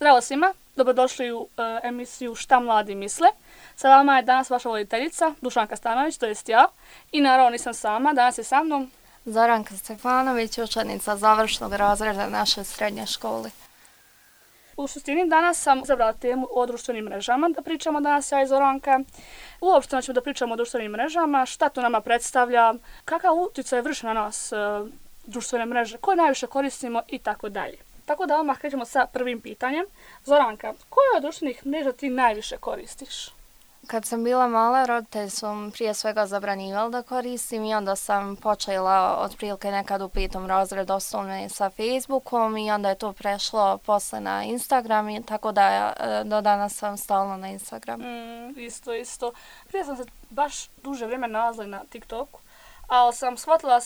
Zdravo svima, dobrodošli u emisiju Šta mladi misle. Sa vama je danas vaša voditeljica Dušanka Stanović, to jest ja. I naravno nisam sama, danas je sa mnom Zoranka Stefanović, učenica završnog razreda naše srednje škole. U suštini danas sam izabrala temu o društvenim mrežama da pričamo danas ja i Zoranka. Uopšteno ćemo da pričamo o društvenim mrežama, šta to nama predstavlja, kakav utjecaj vrši na nas društvene mreže, koje najviše koristimo i tako dalje. Tako da odmah krećemo sa prvim pitanjem. Zoranka, koje od društvenih mreža ti najviše koristiš? Kad sam bila mala, roditelji su prije svega zabranjivali da koristim i onda sam počela otprilike nekad u 5. razredu osnovne sa Facebookom i onda je to prešlo posle na Instagram i tako da do danas sam stalno na Instagramu. Isto. Prije sam se baš duže vrijeme nalazila na TikToku, ali sam shvatila da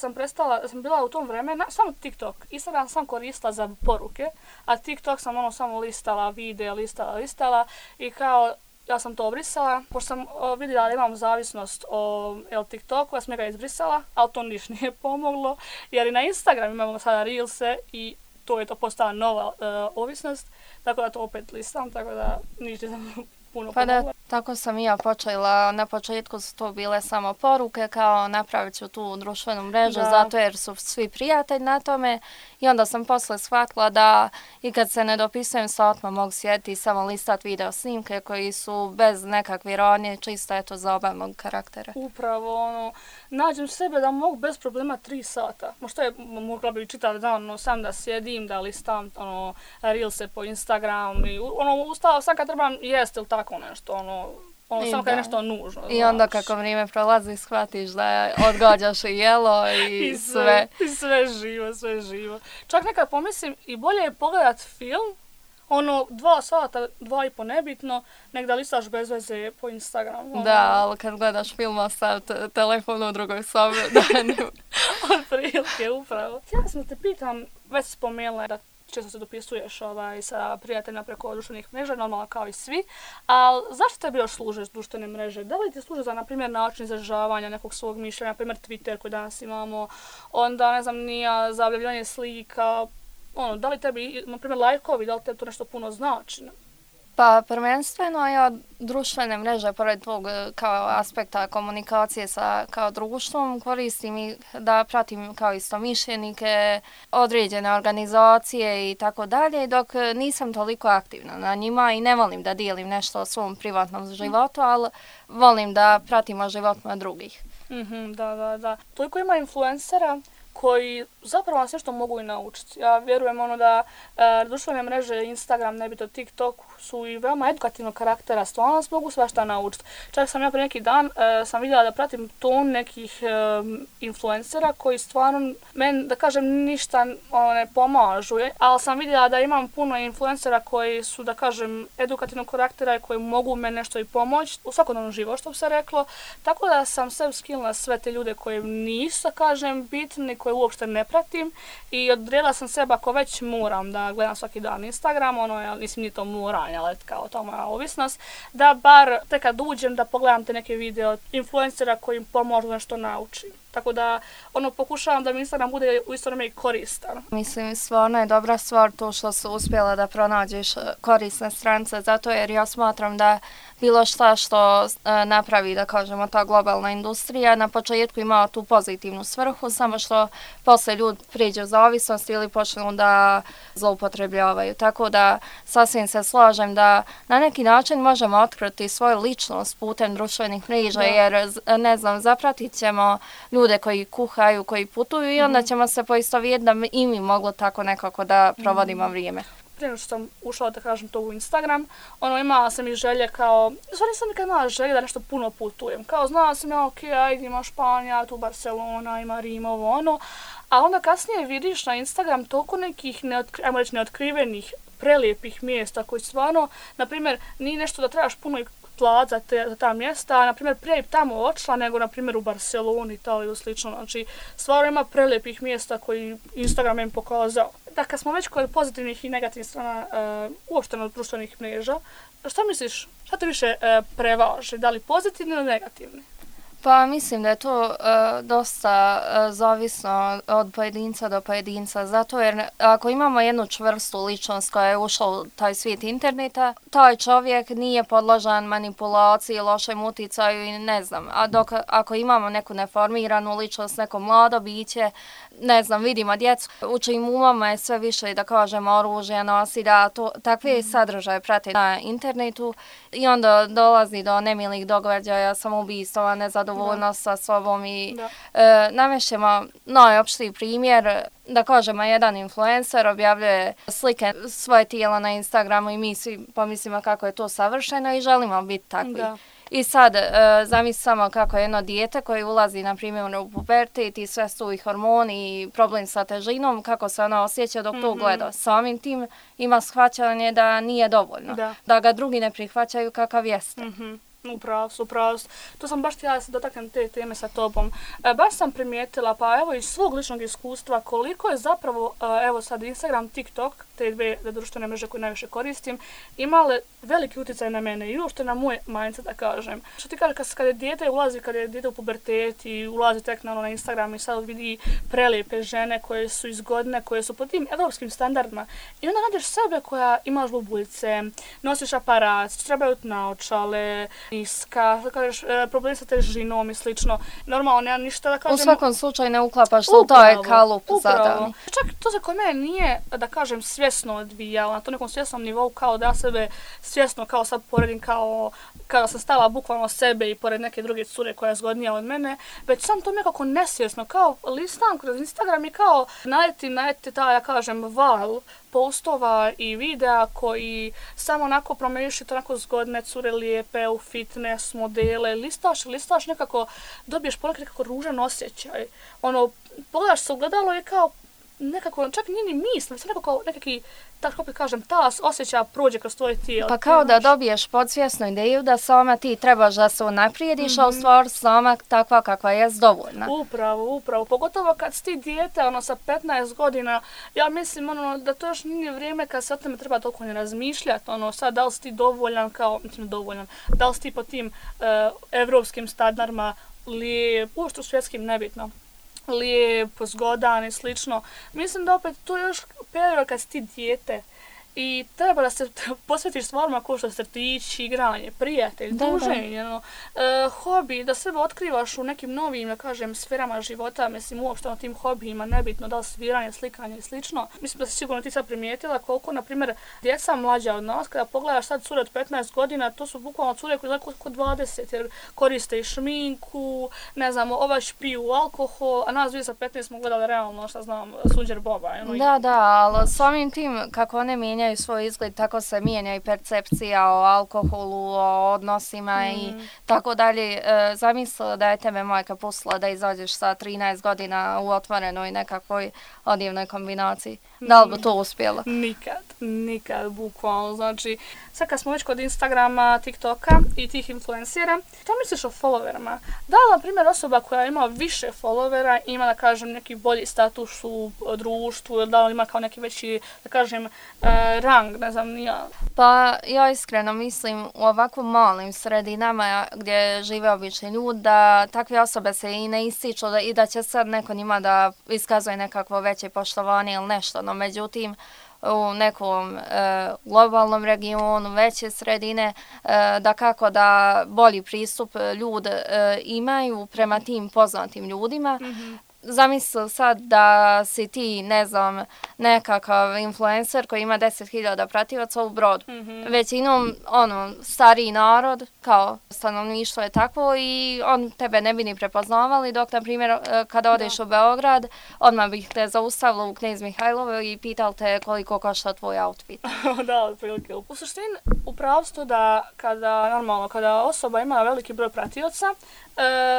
sam bila u tom vremenu samo TikTok. Instagram sam koristila za poruke, a TikTok sam samo listala videa, listala i kao ja sam to obrisala, pošto sam vidjela da imam zavisnost o TikToku, ja sam ga izbrisala, ali to ništa nije pomoglo, jer i na Instagram imamo sada Reelse i to je postala nova ovisnost, tako da to opet listam, tako da ništa sam puno pomogla. Da, tako sam i ja počela. Na početku su to bile samo poruke, kao napravit ću tu društvenu mrežu, zato jer su svi prijatelji na tome. I onda sam posle shvatila da i kad se ne dopisujem sa odmah mogu sjediti i samo listat video snimke koji su bez nekakve ironije, čisto zabavnog karaktera. Upravo, nađem sebe da mogu bez problema 3 sata. Možda je mogla bi čitati dan, sam da sjedim, da listam reelse po Instagramu i ustala sam kad trebam jesti ili tako nešto, samo kad je nešto nužno. I onda kako vrijeme prolazi shvatiš da odgađaš i jelo i sve. I sve živo. Čak nekad pomislim i bolje je pogledat film, 2 sata, 2,5 nebitno, nek da listaš bez veze po Instagramu. Da, ali kad gledaš film ostav telefon u drugoj sobi. Otprilike, upravo. Ja sam da te pitam, već spomenula da često se dopisuješ sa prijateljima preko društvenih mreža, normalno kao i svi, ali zašto tebi još služe društvene mreže? Da li ti služe za, na primjer, način izražavanja nekog svog mišljenja, na primjer Twitter koji danas imamo, onda, ne znam, za objavljivanje slika, da li tebi, na primjer, lajkovi, da li tebi to nešto puno znači? Pa prvenstveno ja društvene mreže, pored tog kao aspekta komunikacije sa kao društvom, koristim i da pratim kao istomišljenike, određene organizacije i tako dalje, dok nisam toliko aktivna na njima i ne volim da dijelim nešto o svom privatnom životu, ali volim da pratimo životima drugih. Da. Toliko ima influencera koji zapravo nas nešto mogu i naučiti. Ja vjerujem da društvene mreže, Instagram, nebitno TikTok su i veoma edukativnog karaktera, stvarno nas mogu svašta naučiti. Čak sam ja prije neki dan sam vidjela da pratim ton nekih influencera koji stvarno meni, da kažem, ništa ne pomažu, ali sam vidjela da imam puno influencera koji su, da kažem, edukativnog karaktera i koji mogu meni nešto i pomoći u svakodnevnom životu, što bi se reklo. Tako da sam sve skinula sve te ljude koji nisu, da kažem, bitni, koje uopšte ne pratim i odredila sam sebe ako već moram da gledam svaki dan Instagram, mislim nije to moranje, ali kao to moja ovisnost, da bar tek kad uđem da pogledam te neke video influencera koji im pomožu nešto naučim. Tako da pokušavam da mi Instagram bude u isto vrijeme i koristan. Mislim, stvarno je dobra stvar to što su uspjela da pronađeš korisne stranice, zato jer ja smatram da bilo šta što napravi, da kažemo, ta globalna industrija na početku ima tu pozitivnu svrhu, samo što posle ljudi priđu u zavisnost ili počnu da zloupotrebljavaju. Tako da sasvim se slažem da na neki način možemo otkriti svoju ličnost putem društvenih mreža, jer, ne znam, zapratit ćemo ljude koji kuhaju, koji putuju i onda ćemo se poistovjetiti da i mi moglo tako nekako da provodimo vrijeme. Prije što sam ušla, da kažem, to u Instagram, imala sam i želje kao, stvarno nisam nikad imala želje da nešto puno putujem. Kao, znala sam ima Španija, tu Barcelona, ima Rim, a onda kasnije vidiš na Instagram toliko nekih, neotkrivenih, prelijepih mjesta koji stvarno, na primjer, nije nešto da trebaš puno i plat za ta mjesta, na primjer, prije tamo otišla nego, na primjer, u Barceloni, Italiju i slično. Znači, stvarno ima prelijepih mjesta koji Instagram im pokazao. Da, kad smo već kod pozitivnih i negativnih strana uopšteno društvenih mreža, šta misliš, šta te više prevaži, da li pozitivni ili negativni? Pa mislim da je to dosta zavisno od pojedinca do pojedinca, zato jer ako imamo jednu čvrstu ličnost koja je ušla u taj svijet interneta, taj čovjek nije podložan manipulaciji, lošem uticaju i ne znam, a dok ako imamo neku neformiranu ličnost, neko mlado biće, ne znam, vidimo djecu, u čijim umama je sve više, da kažemo, oružje nosi, da takve sadržaje prate na internetu i onda dolazi do nemilih događaja, samoubistava, nezadovoljnost sa sobom i navešćemo najopštiji primjer, da kažemo, jedan influencer objavljuje slike svoje tijela na Instagramu i mi svi pomislimo kako je to savršeno i želimo biti takvi. Da. I sad, zamisli samo kako jedno dijete koje ulazi, na primjer, u pubertet i sve su i hormoni i problem sa težinom, kako se ona osjeća dok to gleda. Samim tim ima shvaćanje da nije dovoljno, da ga drugi ne prihvaćaju kakav jeste. Upravo su. To sam baš htjela da se dotaknem te teme sa tobom. Baš sam primijetila, pa evo iz svog ličnog iskustva, koliko je zapravo, evo sad Instagram, TikTok, te dve društvene mreže koje najviše koristim, imale veliki utjecaj na mene i uopšte na moj mindset, da kažem. Što ti kažeš, kad je dijete u pubertet i ulazi tek na Instagram i sad vidi prelijepe žene koje su izgodne, koje su po tim evropskim standardima i onda nađeš sebe koja imaš bubuljce, nosiš aparat, trebaju naočale, niska, da kažeš, problem sa težinom i slično. Normalno, nema ništa da kažem. U svakom slučaju ne uklapaš u taj kalup zadani. Čak to za koje mene nije, da kažem, svjesno odvijalo, na to nekom svjesnom nivou, kao da sebe svjesno, kao sad poredim, kao da sam stala bukvalno sebe i pored neke druge cure koja je zgodnija od mene, već sam to nekako nesvjesno, kao listam kroz Instagram i kao najeti taj, ja kažem, val postova i videa koji samo onako promiješaju onako zgodne cure lijepe u fitness modele, listaš nekako, dobiješ ponekad nekako ružan osjećaj. Pogledaš se u gledalo i kao nekako, čak nije ni misli, sve nekako nekakvi, tako opet kažem, tas osjećaja prođe kroz tvoje tijelo. Pa kao da dobiješ podsvjesnu ideju da sama ti trebaš da se unaprijediš, a u stvari sama takva kakva je dovoljna. Upravo. Pogotovo kad si ti dijete, sa 15 godina, ja mislim, da to još nije vrijeme kad se o tome treba toliko ne razmišljati, sad da li si ti dovoljan, da li si ti po tim evropskim standardima lijep, uopšte svjetskim, nebitno, lijep, zgodan i slično. Mislim da opet to je još period kad si ti dijete i treba da se posvetiš stvarima kao što crtić, igranje, prijatelj, druženje, hobi, da sebe otkrivaš u nekim novim, da kažem, sferama života, mislim uopšte na tim hobijima, nebitno da li sviranje, slikanje i slično. Mislim da si sigurno ti sad primijetila koliko, na primjer, djeca mlađa od nas, kada pogledaš sad cure od 15 godina, to su bukvalno cure koje izgledaju kod 20, jer koriste i šminku, ne znam, piju alkohol, a nas dvije sa 15 smo gledali realno, šta znam, Sunđer Boba. Da, ali samim tim kako one mijenjaju svoj izgled, tako se mijenja i percepcija o alkoholu, o odnosima i tako dalje. Zamislila da je tebe majka pustila da izađeš sa 13 godina u otvorenoj nekakvoj odivnoj kombinaciji. Da li bi to uspjelo? Nikad, bukvalno. Znači, sad kad smo već kod Instagrama, TikToka i tih influencera, šta misliš o followerima? Da li, na primjer, osoba koja ima više followera ima, da kažem, neki bolji status u društvu, da li ima kao neki veći, da kažem, rang, ne znam, nija? Pa, ja iskreno mislim u ovako malim sredinama gdje žive obični ljudi, da takve osobe se i ne ističu i da će sad neko njima da iskazuje nekakvo veće poštovanje ili nešto. No, međutim, u nekom globalnom regionu, veće sredine, da kako da bolji pristup ljudi imaju prema tim poznatim ljudima. Zamisli sad da si ti, ne znam, nekakav influencer koji ima 10.000 prativaca u Brodu. Većinom, stariji narod, kao stanovništvo je takvo i on tebe ne bi ni prepoznavali, dok, na primjer, kada odeš u Beograd, odmah bih te zaustavila u Knez Mihajlovu i pitali te koliko košta tvoj outfit. Da, otprilike. U suštini, upravo ste da kada osoba ima veliki broj pratioca,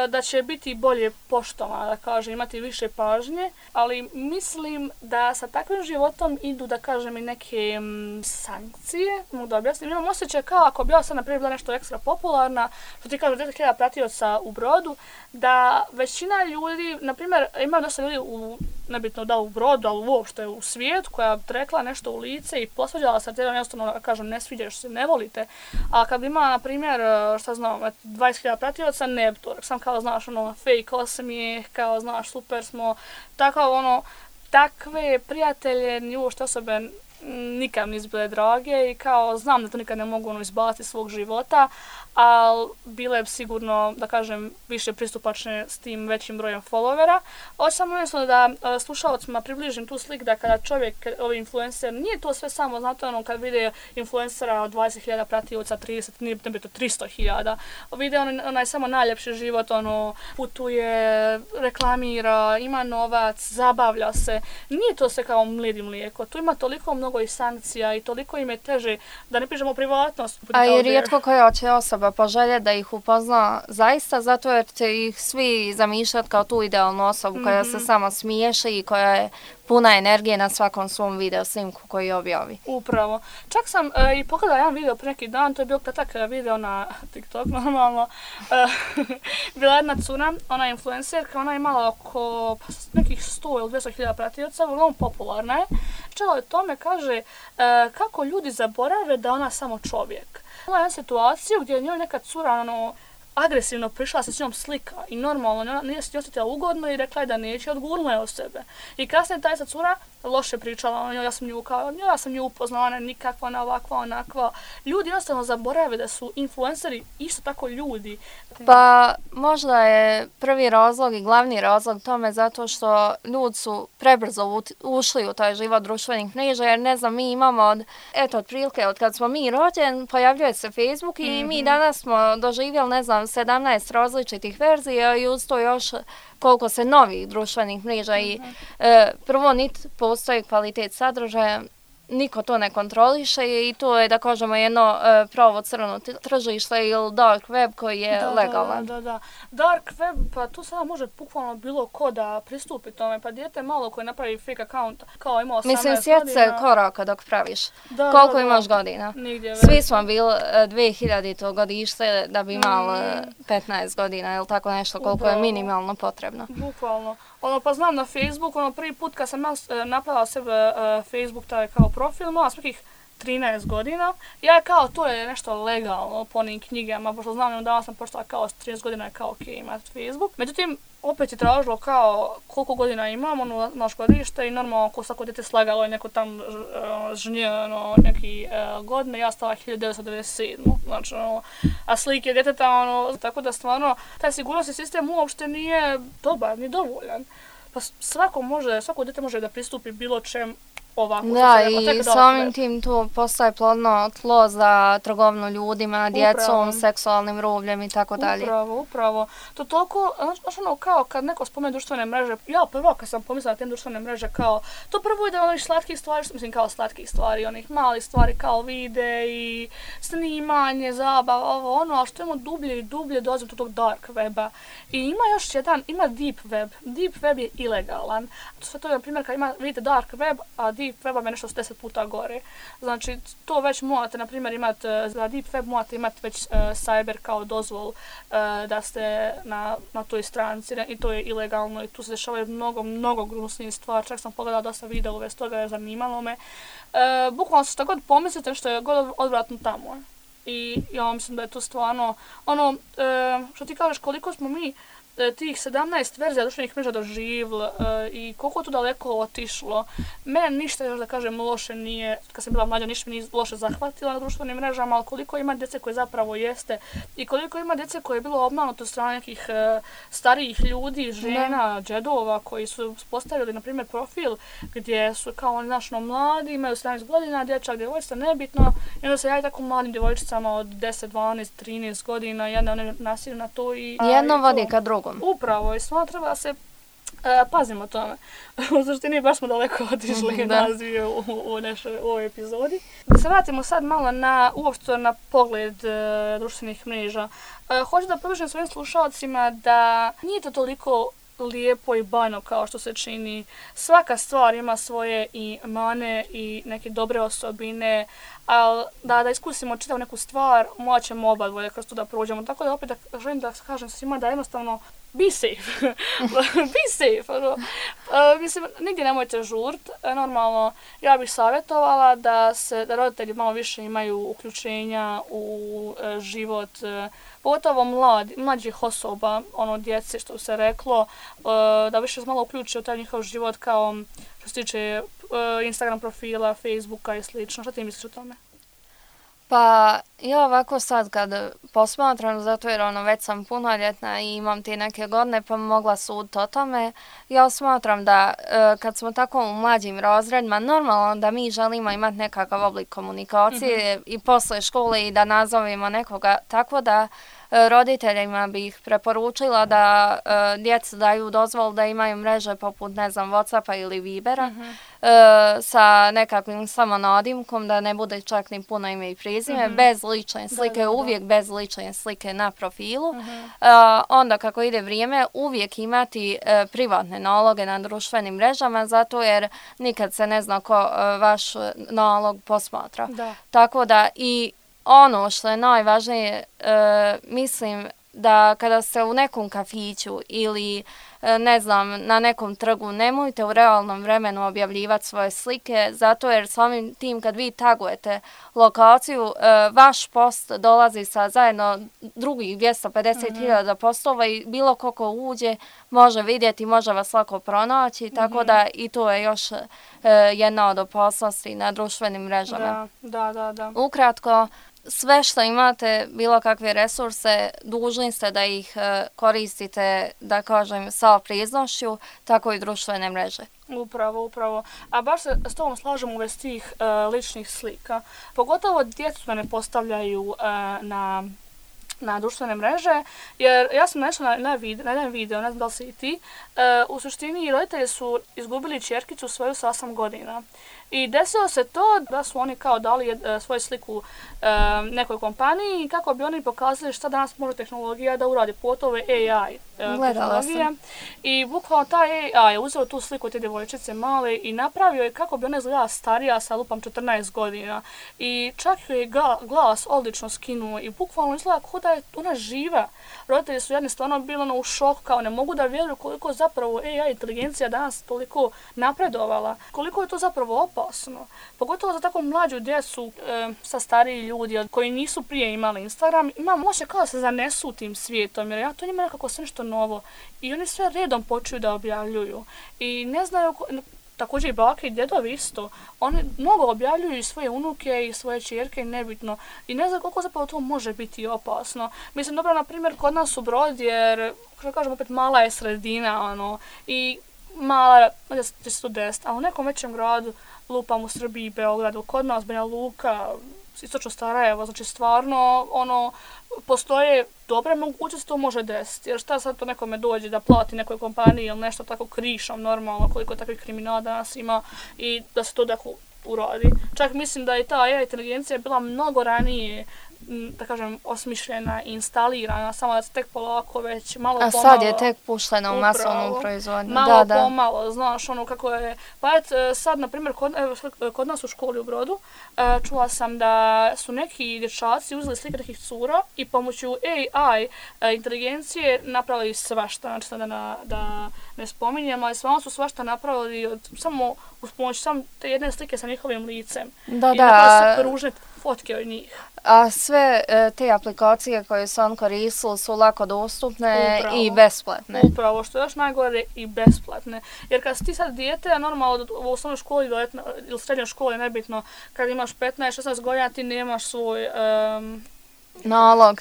da će biti bolje poštovana, da kažem, imati više pažnje, ali mislim da sa takvim životom idu, da kažem, i neke sankcije, mogu da objasnim. Imam osjećaj kao ako bi ja sad, na primjer, bila nešto ekstra popularna, što ti kažem 10.000 pratioca u Brodu, da većina ljudi, na primjer, ima dosta ljudi u nebitno da u Brodu, ali uopšte u svijetu, koja bi rekla nešto u lice i posvađala se, jer jednostavno kažem, ne sviđaš se, ne volite. A kad bi imala, na primjer, šta znam, 20.000 pratioca, ne bi to, sam kao, znaš, fake osmijeh, kao, znaš, super smo, tako, takve prijatelje, ni uopšte osobe nikad nisu bile drage i kao znam da to nikad ne mogu izbaciti iz svog života, ali bile bi sigurno, da kažem, više pristupačne s tim većim brojem followera. Ovo samo jednostavno da slušalcima približim tu sliku da kada čovjek, ovaj influencer, nije to sve samo, znate kad vide influencera od 20.000 pratioca, 30, nije nebito 300.000, vide onaj samo najljepši život, putuje, reklamira, ima novac, zabavlja se. Nije to sve kao mlid i mlijeko, tu ima toliko mnogo i sankcija i toliko im je teže, da ne pišemo privatnost. A i rijetko koja će osoba poželje da ih upozna zaista, zato jer će ih svi zamišljati kao tu idealnu osobu koja se samo smiješi i koja je puna energije na svakom svom video snimku koji objavi. Upravo. Čak sam i pogledala jedan video pre neki dan, to je bio kratak video na TikTok normalno. Bila jedna cura, ona je influencerka, ona je imala oko nekih 100 ili 200.000 pratioca, vrlo popularna je. Čela o tome kaže kako ljudi zaborave da ona samo čovjek. Imala jedna situaciju gdje je njoj neka cura agresivno prišla se s njom slika i normalno nije se osjetila ugodno i rekla je da neće, odgurnula je od sebe. I kasnije ta cura loše pričala, ja sam nju upoznala, ona je nikakva, ona ovakva, onakva. Ljudi jednostavno zaborave da su influenceri isto tako ljudi. Pa možda je prvi razlog i glavni razlog tome zato što ljudi su prebrzo ušli u taj život društvenih mreža, jer ne znam, mi imamo otprilike od kad smo mi rođeni, pojavljuje se Facebook i mi danas smo doživjeli, ne znam, 17 različitih verzija i uz to još koliko se novih društvenih mreža i prvo niti postoji kvalitet sadržaja, niko to ne kontroliše i to je, da kažemo, jedno pravo crno tržište ili dark web koji je legalan. Da. Dark web, pa tu sada može bukvalno bilo ko da pristupi tome, pa dijete malo koje napravi fake account, kao ima 18 godina. Mislim, sjeti se koraka dok praviš. Koliko imaš godina? Svi smo bili 2000. godište da bi imali 15 godina ili tako nešto, koliko je minimalno potrebno. Bukvalno. Pa znam na Facebook, prvi put kad sam napravila sebe Facebook, taj kao profil, imala sam nekih 13 godina. Ja kao, to je nešto legalno po onim knjigama, pošto znam da sam počela kao s 13 godina je kao ok imati Facebook. Međutim, opet je tražilo kao koliko godina imam, naš godište i normalno ko svako dete slagalo je neko tam žnje, neki godine, ja stala 1997. Znači, a slike djeteta, tako da stvarno taj sigurnosni sistem uopšte nije dobar, ni dovoljan. Pa svako dete može da pristupi bilo čem ovako. Da, i samim tim tu postaje plodno tlo za trgovinu ljudima, djecom, seksualnim rubljem i tako dalje. Upravo. To toliko, znači kao kad neko spomene društvene mreže, ja prvo kad sam pomislila na te društvene mreže kao, to prvo ide onih slatkih stvari, mislim kao slatkih stvari, onih malih stvari kao videi, snimanje, zabava, a što imamo dublje i dublje dolazimo do tog dark weba. I ima još jedan, ima deep web. Deep web je ilegalan. To je, na primjer, kad vidite dark web, a deep web vam je nešto 10 puta gore. Znači, to već morate, na primjer, imati, za deep web morate imati već cyber kao dozvol da ste na toj stranici i to je ilegalno i tu se dešavaju mnogo gnusnijih stvari. Čak sam pogledala dosta videa uvez toga, je zanimalo me. Bukvalno što god pomislite, što je god odvratno tamo. I ja mislim da je to stvarno, što ti kažeš, koliko smo mi tih 17 verzija društvenih mreža doživjeli i koliko je tu daleko otišlo. Mene ništa, još da kažem, loše nije, kad sam bila mlađa, ništa mi nije loše zahvatila na društvenim mrežama, ali koliko ima djece koje zapravo jeste i koliko ima djece koje je bilo obmanuto od strane nekih starijih ljudi, žena, džedova koji su postavili, na primjer, profil gdje su kao oni mladi, imaju 17 godina, dječak, djevojčica, nebitno, i onda se javi tako mladim djevojčicama od 10, 12, 13 godina, one nasilju na to i... Jedno vodi ka drugom. Upravo, i stvarno treba da se pazimo tome. U suštini baš smo daleko otišli nazvije u ovoj epizodi. Da se vratimo sad malo uopšte na pogled društvenih mreža. Hoću da približim svojim slušalcima da nije to toliko lijepo i bajno kao što se čini. Svaka stvar ima svoje i mane i neke dobre osobine, ali da iskusimo čitav neku stvar, morat ćemo oba dvoje kroz to da prođemo. Tako da opet želim da kažem svima da jednostavno be safe. Be safe. Ono. Mislim, nigdje nemojte žurt. Normalno, ja bih savjetovala da roditelji malo više imaju uključenja u život, pogotovo mlađih osoba, djece, što se reklo, da više se malo uključe u taj njihov život kao što se tiče Instagram profila, Facebooka i slično. Šta ti misliš o tome? Pa ja ovako sad kad posmatram, zato jer već sam punoljetna i imam te neke godine pa mogla suditi o tome, ja smatram da kad smo tako u mlađim razredima, normalno da mi želimo imati nekakav oblik komunikacije i posle škole i da nazovemo nekoga, tako da roditeljima bih preporučila da djeca daju dozvolu da imaju mreže poput, ne znam, Whatsappa ili Vibera sa nekakvim samo nadimkom, da ne bude čak ni puno ime i prezime, bez lične slike, uvijek bez lične slike na profilu. Onda kako ide vrijeme, uvijek imati privatne naloge na društvenim mrežama, zato jer nikad se ne zna ko vaš nalog posmatra. Tako da i ono što je najvažnije, mislim da kada ste u nekom kafiću ili ne znam, na nekom trgu, nemojte u realnom vremenu objavljivati svoje slike, zato jer samim tim kad vi tagujete lokaciju, vaš post dolazi sa zajedno drugih 250.000 postova i bilo ko uđe može vidjeti, može vas lako pronaći, tako da i to je još jedna od opasnosti na društvenim mrežama. Da. Ukratko, sve što imate, bilo kakve resurse, dužni ste da ih koristite, da kažem, sa priznošću, tako i društvene mreže. Upravo. A baš se s tobom slažem u vezi tih ličnih slika. Pogotovo djecu ne postavljaju na društvene mreže, jer ja sam našla na jedan video, ne znam da li si i ti, u suštini roditelji su izgubili ćerkicu svoju sa 8 godina. I desilo se to da su oni kao dali svoju sliku nekoj kompaniji kako bi oni pokazali šta danas može tehnologija da uradi, pogotovo AI tehnologija. I bukvalno taj AI je uzeo tu sliku te djevojčice male i napravio je kako bi ona izgledala starija sa lupam 14 godina. I čak joj je glas odlično skinuo i bukvalno izgleda kao da je ona živa. Roditelji su jedni stvarno bili u šoku, kao ne mogu da vjeruju koliko zapravo AI inteligencija danas toliko napredovala, koliko je to zapravo opasno. Pogotovo za tako mlađu djecu, sa stariji ljudi koji nisu prije imali Instagram, imam osjećaj kao da se zanesu tim svijetom, jer ja to njima nekako sve nešto novo. I oni sve redom počuju da objavljuju. I ne znaju, također i bake i djedovi isto, oni mnogo objavljuju i svoje unuke i svoje ćerke, nebitno. I ne znam koliko zapravo to može biti opasno. Mislim, dobro, na primjer, kod nas u Brod, jer, što kažem, opet mala je sredina, i mala, će se tu desiti, a u nekom većem gradu, lupam u Srbiji, Beogradu, kod nas, Banja Luka, istočno Sarajevo, znači stvarno, postoje dobre mogućnosti to može desiti, jer šta sad to nekome dođe da plati nekoj kompaniji ili nešto tako krišom, normalno, koliko takvih kriminala danas ima i da se to tako uradi. Čak mislim da je ta AI inteligencija bila mnogo ranije, da kažem, osmišljena i instalirana, samo da se tek polako već malo pomalo... A sad je tek puštena u masovnu proizvodnju. Malo pomalo, znaš, kako je... Pa sad, na primjer, kod nas u školi u Brodu, čula sam da su neki dječaci uzeli slike nekih cura i pomoću AI inteligencije napravili svašta, znači da ne spominjem, ali stvarno su svašta napravili samo uz pomoć samo te jedne slike sa njihovim licem. I napravili se ružne fotke od njih. A sve te aplikacije koje su on koristili su lako dostupne i besplatne. Upravo, što je još najgore, i besplatne. Jer kad si ti sad dijete, a normalno u osnovnoj školi ili srednjoj školi, nebitno, kad imaš 15-16 godina, ti nemaš svoj... Nalog,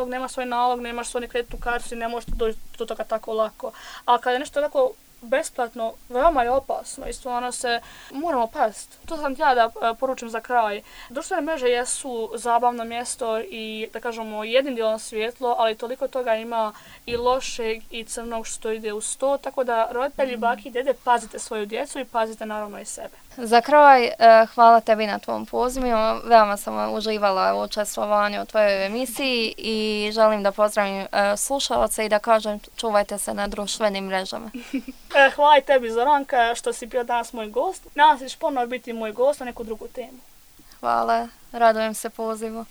nemaš svoj nalog, nemaš svoju kreditnu kartu i ne možeš doći do toga tako lako. A kada je nešto tako besplatno, veoma je opasno i stvarno se moramo paziti. To sam htjela da poručim za kraj. Društvene mreže jesu zabavno mjesto i, da kažemo, jednim dijelom svjetlo, ali toliko toga ima i lošeg i crnog što ide uz to, tako da roditelji, baki i dede, pazite svoju djecu i pazite naravno i sebe. Za kraj, hvala tebi na tvom pozivu. Veoma sam uživala u učestvovanju u tvojoj emisiji i želim da pozdravim slušalce i da kažem čuvajte se na društvenim mrežama. Hvala i tebi, Zoranka, što si bio danas moj gost. Nadam se da ćeš ponovo biti moj gost na neku drugu temu. Hvala, radujem se pozivu.